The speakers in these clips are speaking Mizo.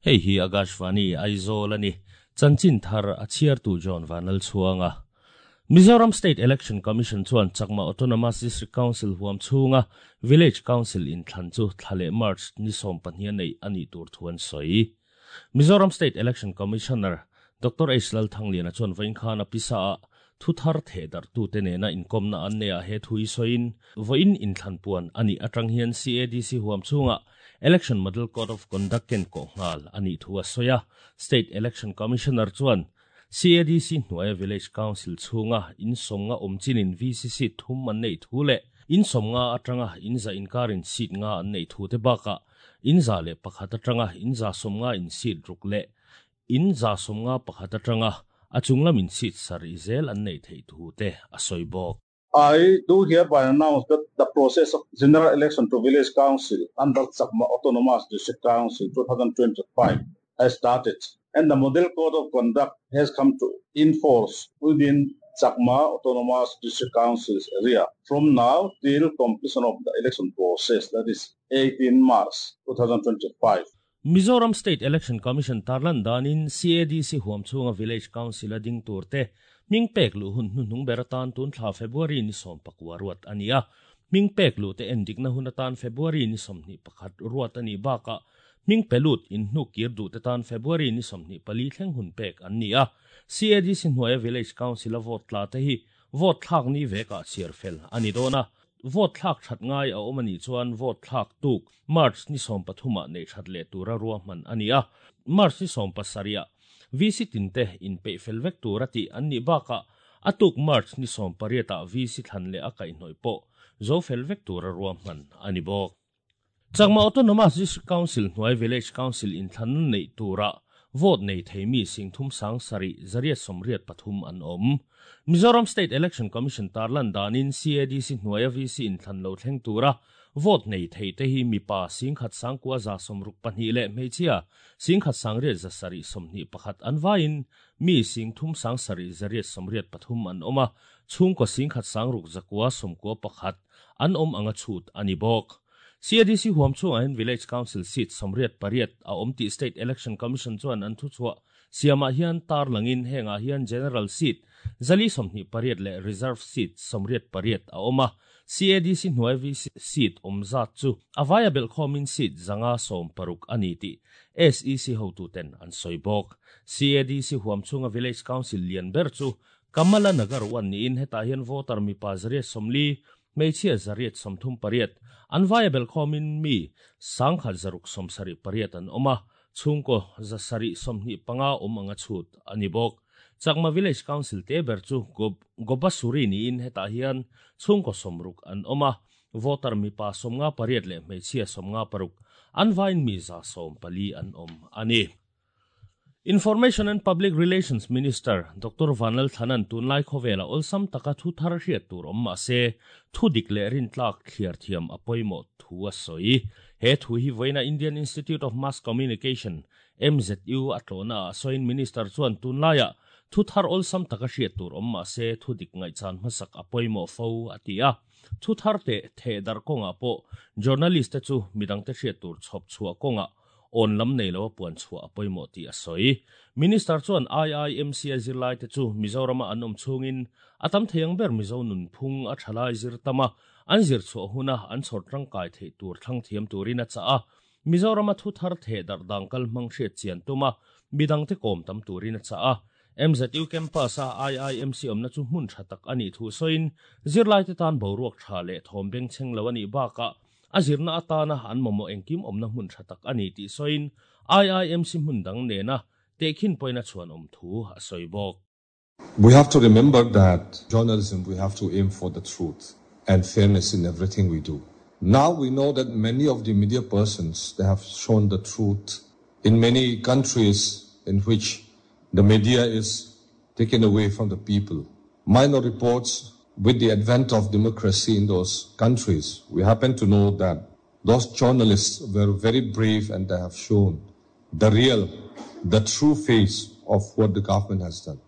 Hei hi Akashvani Aizawl a ni. Chanchin thar a chhiartu John Vanlalchhuanga. Mizoram State Election Commission chuan Chakma Autonomous District Council huam chhunga Village Council inthlan chu thla leh March ni 12 a neih a nih tur thu an sawi. Mizoram State Election Commissioner Doctor H Lalthangliana chuan vawiin khan a pisa ah thu thar theh darhtute nena inkawmna an neih ah he thu hi sawiin vawiin inthlan puan a nih atang hian CADC huam chhungah Election Model Code of Conduct ken kawh nghal a nih thu a sawi a. State Election Commissioner chuan CADC hnuaia Village Council chhunga insawmnga awm chinin VC seat thum an neih thu leh insawmnga atanga inza inkarin seat nga an neih thu te bakah 101 atanga 190 in seat ruk leh 191 atanga a chunglam in seat sarih zel an neih theih thu te a sawi bawk. I do hereby announce that the process of general election to village council under Chakma Autonomous District Council 2025 has started and the model code of conduct has come to in force within Chakma Autonomous District Council's area from now till completion of the election process, that is 18 March 2025. Mizoram State Election Commission tarlan danin CADC huam chhunga Village Council a ding tur te hming pek luh hun hnuhnung ber atan tun thla February ni 19 ruat a ni a. Hming pek luh te endikna hun atan February ni 21 ruat a nih bakah hming pe lut in hnuk kir duh te tan February ni 24 thleng hun pek an ni a. CADC hnuaia Village Council a vote tla te hi vote thlak ni vekah chhiar fel a ni dawn a. Vote thlak that ngai a awm a nih chuan vote thlak tuk March ni 13 ah neih that leh tura ruahman a ni a. March ni 17 ah VC tin te inpeih fel vek tur a tih an nih bakah a tuk March ni 18 ah VC thlan leh a kaihhnawih pawh zo fel vek tura ruahman a ni bawk. Chakma Autonomous District Council hnuai Village Council inthlan neih tura vote nei thei mi 37,883 an awm. Mizoram State Election Commission tarlan danin CADC hnuaia VC inthlan lo thleng tura vote nei thei te hi mipa 1,962 leh hmeichhia 1,871 an vaiin mi 37,883 an awm a, chhungkaw 1,691 an awm anga chhut a ni bawk. CADC huam chhungah hian Village Council seat 88 a awm tih State Election Commission chuan an thu chhuah siamah hian tar langin hengah hian General seat 428 leh Reserve seat 88 a awm a. CADC hnuai VC seat awm zat chu a vaia belhkhawmin seat 116 a ni tih SEC hotu ten an sawi bawk. CADC huam chhunga Village Council lian ber chu Kamala Nagar 1 niin hetah hian voter mipa 140 hmeichhia 138 an vaia belhkhawmin mi 1,678 an awm a, chhungkaw 725 awm anga chhut a ni bawk. Chakma Village Council te ber chu Gobasuri niin hetah hian chhungkaw 60 an awm a, voter mipa 58 leh hmeichhia 56 an vaiin mi 114 an awm a ni. Information and Public Relations Minister Doctor Vanlalthlana'n tunlai khawvela awlsam taka thu thar hriat tur awm mah se thu dik leh rin tlak thliar thiam a pawimawh thu a sawi. He thu hi vawiina Indian Institute of Mass Communication, MZU, a tlawhna ah sawiin Minister chuan tunlaiah thu thar awlsam taka hriat tur awm mah se thu dik ngaihchan hmasak a pawimawh fo a ti a. Thu thar teh theh darh kawngah pawh journalist te chu midangte hriat tur chhawp chhuah kawngah awn lam nei lo a puan chhuah a pawimawh tih a sawi. Minister chuan IIMC a zirlai te chu Mizorama an awm chhungin a tam thei ang ber Mizo nunphung a thalai zir tam a, an zir chhuah huna an chhawr tangkai theih tur thlang thiam turin a chah a. Mizorama thu thar theh darh dang kal hmang hriat chian tum a, midangte kawm tam turin a chah a. MZU campus a IIMC awmna chu hmun tha tak a nih thu sawiin zirlai te tan boruak tha leh thawm beng chheng lo a nih bakah a zirna atana an mamawh engkim awmna hmun tha tak a ni tih sawiin IIMC hmun dang nena tehkhin pawina chuan awm thu a sawi bawk. We have to remember that journalism, we have to aim for the truth and fairness in everything we do. Now we know that many of the media persons, they have shown the truth in many countries in which the media is taken away from the people. Minor reports, with the advent of democracy in those countries, we happen to know that those journalists were very brave and they have shown the real, the true face of what the government has done.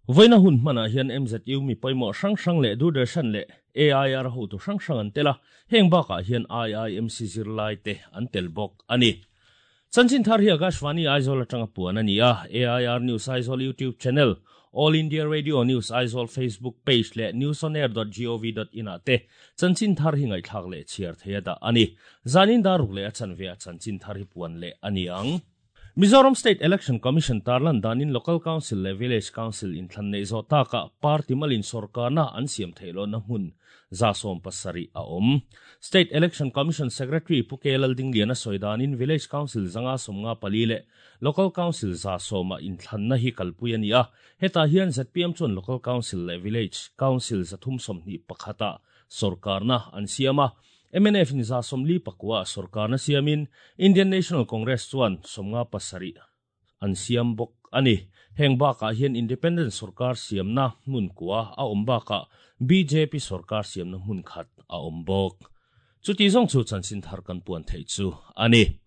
Vawiina hun hmanah hian MZU mi pawimawh hrang hrang leh Doordarshan leh AIR hotu hrang hrang an tel a, heng bakah hian IIMC zirlai te an tel bawk a ni. Chanchin thar hi Akashvani Aizawl atanga puan a ni a, AIR News Aizawl YouTube channel, All India Radio News Aizawl Facebook page leh newsonair dot gov dot in ah te chanchin thar hi ngaihthlak leh chhiar thei a dah a ni. Zanin daruk leh a chanve ah chanchin thar hi puan leh a ni ang. Mizoram State Election Commission tarlan danin Local Council leh Village Council inthlan neih zawh takah party malin sawrkarna an siam theih lohna hmun 170 a awm. State Election Commission Secretary Pu K Laldingliana sawi danin Village Council 554 leh Local Council 100 ah inthlanna hi kalpui a ni a, hetah hian zpm chuan Local Council leh Village Council 321 ah sawrkarna an siam a, Mnf in 49 ah sawrkarna siamin Indian National Congress chuan 57 an siam bawk a ni. Heng bakah hian Independent sawrkar siamna hmun kua a awm bakah bjp sawrkar siamna hmun khat a awm bawk. Chuti zawng chu chanchin thar kan puan theih chu a ni.